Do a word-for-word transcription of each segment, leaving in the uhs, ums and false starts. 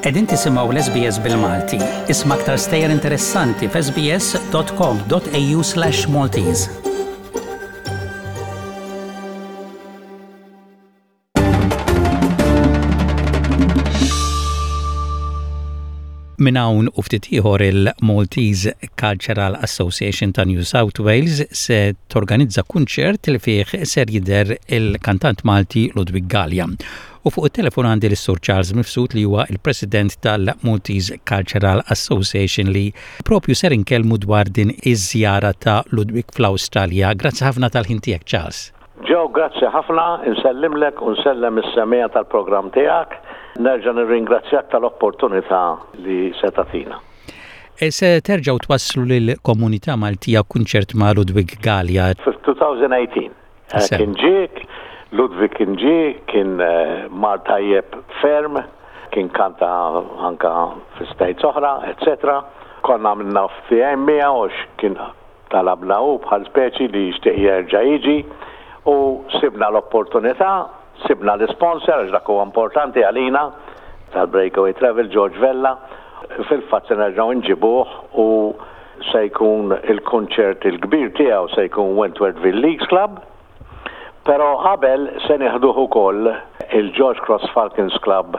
Qegħdin tisimgħu l-S B S bil-Malti. Isma' aktar stejjer interessanti f'S B S dot com dot A U slash Maltese. Minn hawn u ftit ieħor, il-Maltese Cultural Association ta' New South Wales se torganizza kunċert li fih ser jidher il-kantant Malti Ludwig Gallia. U fuq it-telefon għandi l-Sur Charles Mifsud, li huwa il-President tal-Maltese Cultural Association, li propju ser inkellmu dwar din iż-żjara ta' Ludwig fl-Awstralja. Grazzi ħafna tal-ħin tiegħek, Charles. Joe, grazzi ħafna, insellimlek u nsellem is-semmiegħa tal-programm tiegħek. Nerġa' nirringrazzjak tal-opportunità li se tagħtina. E se terġgħu twasslu lill-komunità Maltija kunċert ma' Ludwig Gallia. Fil-elfejn u tmintax eh, kien ġie, Ludwig kien ġie, kien eh, mar tajjeb ferm, kien kanta anka fi states oħra, eccetera. Konna għamilna ftehim miegħu għax kien talabna u bħal speċi li jixtieq jerġa' jiġi u sibna l-opportunità, sibna l-sponsor, għax dak huwa importanti għalina, tal-Breakaway Travel, George Vella. Fil-fatt se nerġgħu nġibuh u se jkun il-konċert il-kbir tiegħu se jkun Wentworthville Leagues Club. Però qabel se nieħduh ukoll il-George Cross Falcons Club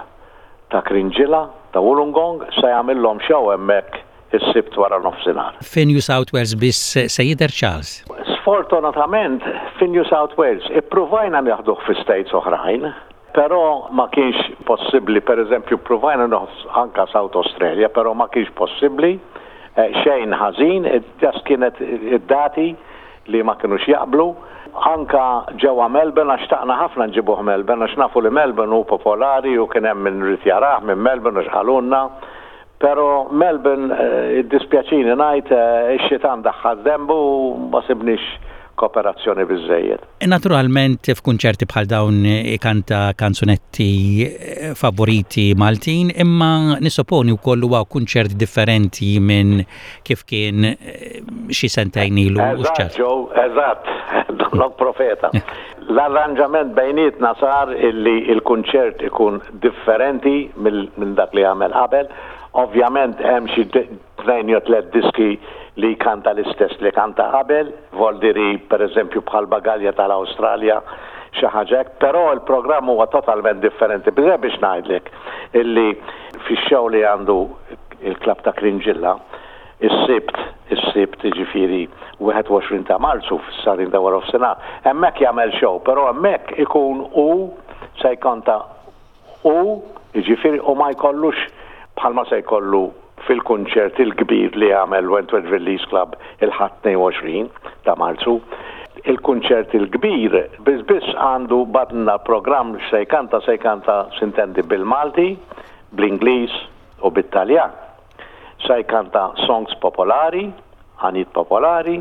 ta' Cringila, ta' Wollongong, se jagħmilhom show hemmhekk is-Sibt wara nofsinhar. Fi New South Wales biss se jidher, Charles? Sfortunatament fi New South Wales. Ippruvajna nieħduh fi states oħrajn, però ma kienx possibbli. Per eżempju, provajna nieħdu anka South Australia, però ma kienx possibbli, eh, xejn ħażin, just kienet id-dati li ma kienux jaqblu. Anka ġewwa Melbourne, għax xtaqna ħafna nġibuh Melbourne, għax nafu li Melbourne hu popolari u kien hemm min ried jarah minn Melbourne u x'qalulna. Però Melbourne, eh, id-dispjaċini ngħid, eh, ix-xitan daħħal dembu u ma sibniex kooperazzjoni biżejjed. Naturalment, f'kunċerti bħal dawn ikanta kanzunetti eh, favoriti Maltin, imma nissoponi wkoll huwa kunċert differenti minn kif kien xi sentejn ilu. Eżatt, Joe, eżatt, donnok profeta. L-arranġament bejnietna sar illi il-kunċert ikun differenti minn dak li għamel qabel. Ovvjament hemm xi tnejn jew tliet diski li kanta l-istess li kanta qabel, voldiri, per eżempju, bħal Bagalja tal-Awstralja, xi ħaġa hekk, però il-programm huwa totalment differenti. Biżej biex ngħidlek illi fix-show li għandu il-klab ta' Cringila, is-Sibt, is-Sibt ġifieri wieħed u għoxrin ta' Marzu fis-sagħtejn ta' wara nofsinhar, hemmhekk jagħmel show, però hemmhekk ikun u se jkanta u jiġifieri u ma jkollux bħalma se jkollu fil-kunċert il-kbir li għamel Wentworth Leagues Club il-Ħadd tnejn u għoxrin ta' Marzu. Il-kunċert il-kbir biss biss għandu badna programm se jkanta se jkanta sintendi bil-Malti, bl-Ingliż u bit-Taljan. Se jkanta songs popolari, għanjiet popolari,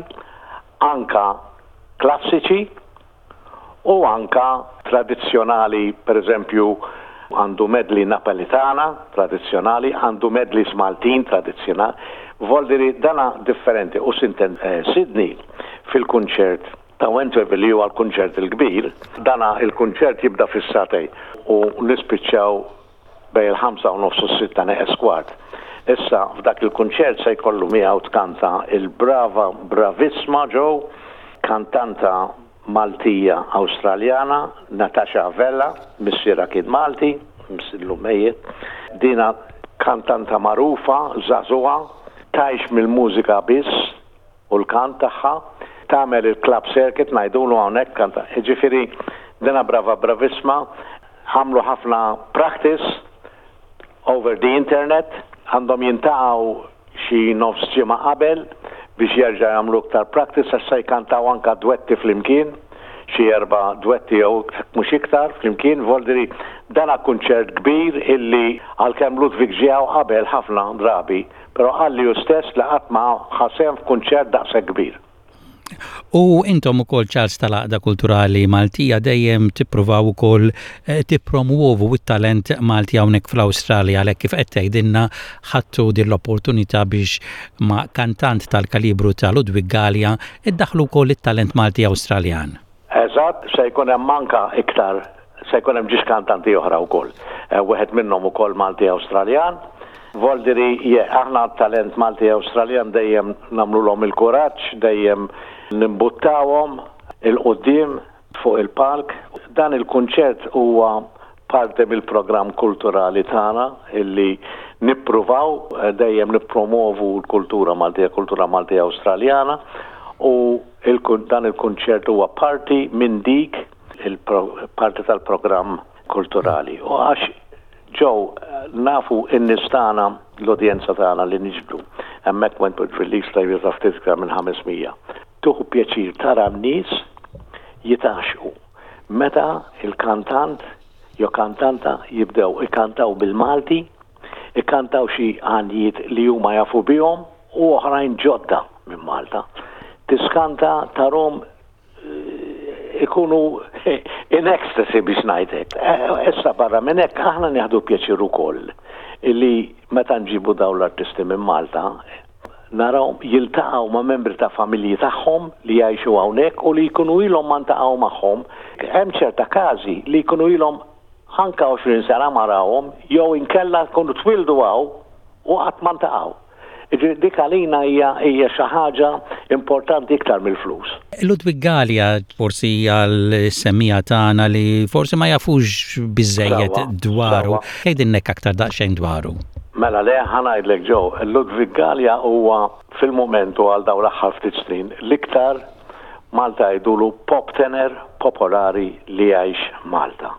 anka klassiċi u anka tradizzjonali. Per eżempju, għandu medley Napolitana tradizzjonali, għandu medley Maltin tradizzjonali, voldiri dana differenti. U sinten eh, Sydney fil-kunċert ta' Wentworth, li huwa l-kunċert il-kbir, dana il-kunċert jibda fis-sagħtejn u nispiċċaw bejn il-ħamsa u nofs u sitta neqes kwart. Issa, f'dak il-kunċert se jkollu miegħu tkanta il-brava, bravissma, Joe, kantanta Maltija Awstraljana, Natasha Vella, missiera kien Malti, missieru mejjet. Dina kantanta magħrufa, żagħżugħa, tgħix mill-mużika biss u l-kant tagħha, tagħmel il-club circuit ngħidulu hawnhekk kanta. Ġifieri dina brava, bravissma, għamlu ħafna practice over the internet, għandhom jiltaqgħu xi nofs ġimgħa qabel biex jerġa' jagħmlu iktar practice għax se jkantaw anka dwetti flimkien, xi erba' dwetti jew mhux iktar flimkien. Voldiri dana kunċert kbir illi għalkemm Ludwig ġie hawn qabel ħafna drabi, però qalli hu stess li qatt ma ħa sehem f'kunċert daqshekk kbir. U intom ukoll, Charles, tal-Għaqda Kulturali Maltija dejjem tippruvaw ukoll eh, tippromuovu it-talent Malti hawnhekk fl-Awstralja, għalhekk kif qed tgħidilna ħadtu din l-opportunità biex ma' kantant tal-kalibru ta' Ludwig Gallia iddaħlu wkoll it-talent Malti Awstraljan. Eżatt, se jkun hemm anka iktar Se jkun hemm ġiex kantanti oħra wkoll. Eh, wieħed minnhom ukoll Malti Awstraljan. Voldiri, aħna talent Malti Awstraljan dejjem nagħmluhom il-kuraġġ, dejjem nimbuttawhom 'il quddiem fuq il-palk. Dan il-kunċert huwa parti mill-programm kulturali tagħna illi nippruvaw eh, dejjem nippromovu l-kultura Maltija, kultura Maltija Awstraljana u dan il-kunċert huwa parti minn dik il-parti tal-programm kulturali. U għax ġew nafu n-nies tagħna, l-udjenza tagħna li niġbdu. Hemmhekk Wentworthville Leagues ta' ftit iktar minn ħames mija. Tieħu pjaċir tara n-nies jitgħaxxqu. Meta il-kantant jew kantanta jibdew ikantaw bil-Malti, ikantaw xi għanjiet li huma jafu bihom u oħrajn ġodda minn Malta. Tiskanta tarahom eh, ikunu in ecstasy, biex ngħidlek. Eh, issa barra minn hekk aħna nieħdu pjaċir ukoll illi meta nġibu dawn l-artisti minn Malta naraw jiltaqgħu ma' membri ta' familji tagħhom li jgħixu hawnhekk u li jkunu ilhom ma ntaqgħu magħhom. Hemm ċerta każi li jkunu ilhom anka għoxrin sena ma rawhom jew inkella jkunu twildu hawn u qatt ma ntaqgħu. Dik għalina hija hija xi ħaġa importanti iktar mill-flus. Ludwig Galea, forsi għal-semmiegħa tagħna li forsi ma jafux biżejjed dwaru. Għidilna aktar daqsxejn dwaru. Mela le, ħa ngħidlek ġew, Ludwig Galea huwa fil-momentu għal dawn l-aħħar ftit snin l-iktar Malta jgħidulu pop tenor popolari li jgħix Malta.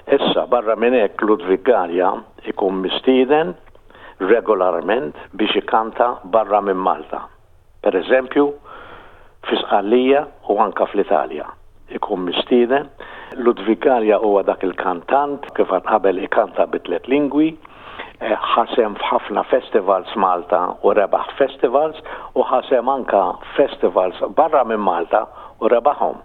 Issa, barra minn hekk, Ludwig Galea ikun mistieden regolarment biex ikanta barra minn Malta. Per eżempju, fi Sqallija u anka fl-Italja. Ikun mistieden. Ludwig Galea huwa dak il-kantant kif qabel ikanta bi tliet lingwi, eh, ħa sehem f'ħafna festivals Malta u rebaħ festivals u ħa sehem anka festivals barra minn Malta u rebaħhom.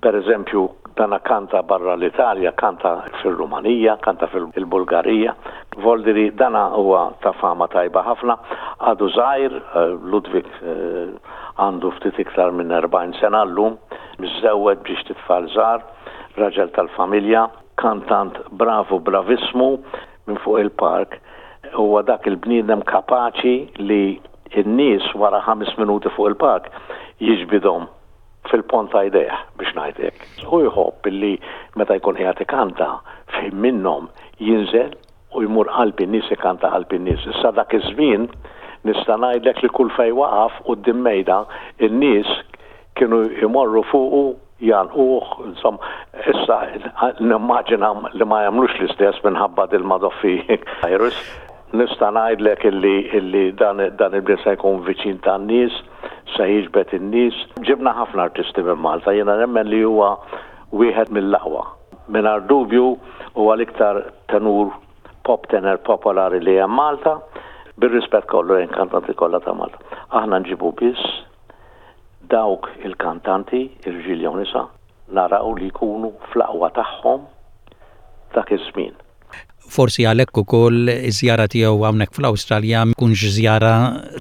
Per eżempju, dana kanta barra l-Italja, kanta fil-Rumanija, kanta fil-Bulgarija. Voldiri dana huwa ta' fama tajba ħafna. Għadu żgħir, eh, Ludwig eh, għandu ftit iktar minn erbgħin sena llum, miżżewweġ b'żewġt itfal żgħar, raġel tal-familja, kantant bravu bravissmu minn fuq il-palk. Huwa dak il-bniedem kapaċi li n-nies wara ħames minuti fuq il-palk jiġbidhom fil-ponn ta' idejh, biex ngħidlek. U jħobb illi meta jkun qiegħed ikanta fejn minnhom jinżel u jmur qalb in-nies, ikanta qalb in-nies. Issa dak iż-żmien nista' ngħidlek li kull fejn waqaf quddiem mejda in-nies kienu jmorru fuqu jgħannquh, insomma, issa nimmaġina li ma jagħmlux l-istess minħabba dil-madoffi virus. Nista' ngħidlek illi illi dan dan il se jkun viċin tan-nies, se jiġbed in-nies. Ġibna ħafna artisti minn Malta, jiena nemmen li huwa wieħed mill-aqwa. Mingħajr dubju huwa l-iktar tenur, pop tenor popolari li hemm Malta, bir-rispett kollu lejn kantanti kollha ta' Malta. Aħna nġibu biss dawk il-kantanti, irġiel jew nisa, naraw li jkunu fl-aqwa tagħhom dak iż-żmien. Forsi għalhekk ukoll iż-żjara tiegħu hawnhekk fl-Awstralja mkunx żjara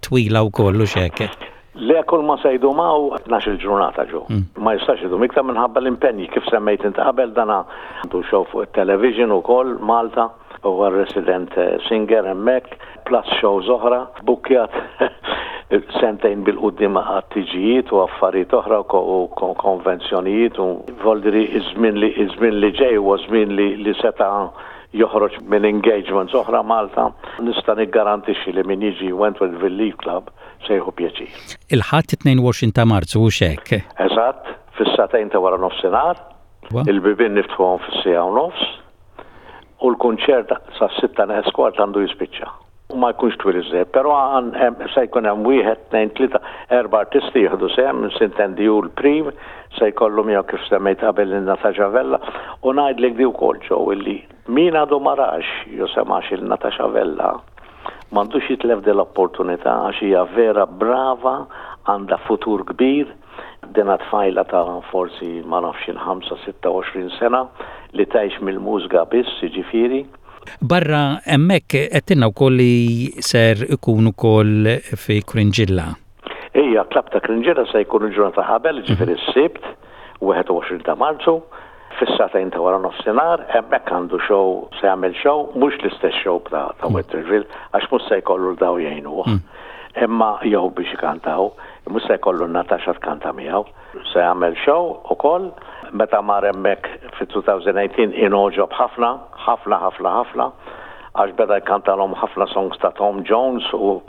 twila wkoll u hekk. Le, kull ma se jdum hawn tnax-il ġurnata ġo. Mm. Ma jistax idum iktar minħabba l-impenji kif semmejt int qabel, dana għandu show fuq il-television ukoll Malta, huwa resident eh, singer hemmhekk, plus shows oħra, bukkjat sentejn bil-quddiem għat-tiġijiet u affarijiet oħra u konvenzjonijiet u voldiri iż-żmien li iż-żmien li ġej huwa żmien li li seta' joħroġ minn engagements oħra Malta. Nista' niggarantixxi li min jiġi Wentworthville League Club se jieħu pjaċir. Il-Ħadd tnejn u għoxrin ta' Marzu u hekk. Eżatt, fis-sagħtejn ta' wara nofsinhar, il-bibien niftħuhom fis-siegħa u nofs u l-kunċert sa' sitta neqes kwart għandu jispiċċa. U ma jkunx twil iżżejjed, però se jkun hemm wieħed, tnejn, tlieta, erba' artisti jieħdu sehem, sintendi hu l-prim, se jkollu miegħu kif semmejt qabel lil Natasha Vella u ngħidlek di wkoll ġew illi min għadu ma rax jew semax lil Natasha Vella m'għandux jitlef din l-opportunità għax hija vera brava, għandha futur kbir, dina tfajla ta' forsi ma nafx ħamsa, sitta u għoxrin sena li tgħix mill-mużika biss, jiġifieri. Barra hemmhekk għedtilna wkoll li ser ikun ukoll fi Cringila. Ija, Club ta' Cringila se jkun il-ġurnata qabel, ġifieri s-Sibt, wieħed u għoxrin ta' Marzu, Fis-sagħtejn ta' wara nofsinhar, hemmhekk għandu show, se jagħmel show, mhux l-istess show ta' ta' Wentworthville, għax mhux se jkollu 'l daw jgħinuh. Imma jew biex ikantaw, mhux se jkollu Natasha tkanta miegħu. Se jagħmel show ukoll meta mar hemmhekk fit-elfejn u tmintax ingħoġob ħafna, ħafna, ħafna, ħafna, għax beda jkantalhom ħafna songs ta' Tom Jones u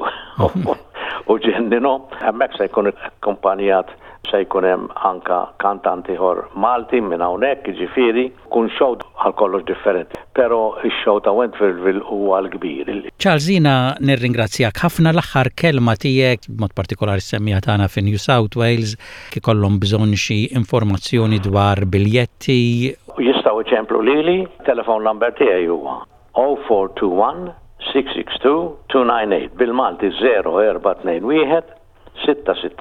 u ġenninhom. Hemmhekk se jkun akkumpanjat, se jkun hemm anka kantanti ieħor Malti minn hawnhekk, jiġifieri kun show għal kollox differenti. Però ix-show ta' Wentworthville huwa l-kbir. Charles, jiena nirringrazzjak ħafna. L-aħħar kelma tiegħek, b'mod partikolari s-semmiegħa tagħna fi New South Wales, ikollhom bżonn xi informazzjoni dwar biljetti. Jistgħu iċemplu lili, telephone number tiegħi huwa zero four two one six six two two nine eight, bil-Malti zero four two one six six two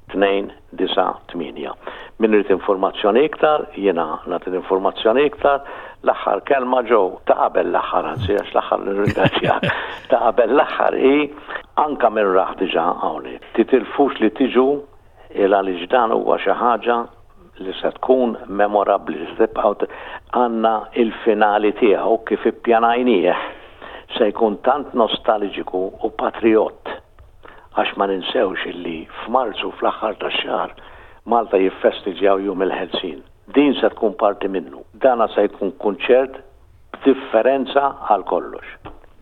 two nine eight. Min irid informazzjoni iktar, jiena nagħti informazzjoni iktar. L-aħħar kelma ġew ta' qabel l-aħħar, anzi, għax l-aħħar nirringrazzjak, ta' qabel l-aħħar hi anka minn raħ diġà hawnhekk. Titilfux li tiġu il għaliex dan huwa xi ħaġa li se tkun memorabbli, se tibqgħu għandna il-finali tiegħu kif ippjanajnieh se jkun tant nostalġiku u patriot, għax ma ninsewx illi f'Marzu, fl-aħħar tax-xahar, Malta jiffestiġjaw Jum il-Ħelsien. Din se tkun parti minnu. Dana se jkun kunċert b'differenza għal kollox.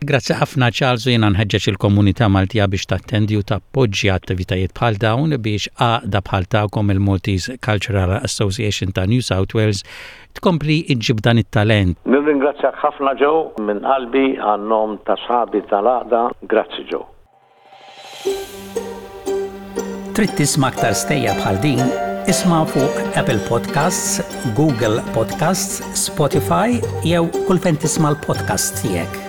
Grazzi ħafna, Charles, u jiena nħeġġeġ il-komunità Maltija biex tattendi u tappoġġja attivitajiet bħal dawn biex għaqda bħal tagħkom, il-Maltese Cultural Association ta' New South Wales, tkompli iġġib dan it-talent. Nirringrazzjak ħafna, Joe, minn qalbi għan-nom ta' sħabi tal-għaqda. Grazzi, Joe. Trid tisma' aktar stejjer bħal din? Isma' fuq Apple Podcasts, Google Podcasts, Spotify jew kull fejn tisma' l-podcast tiegħek.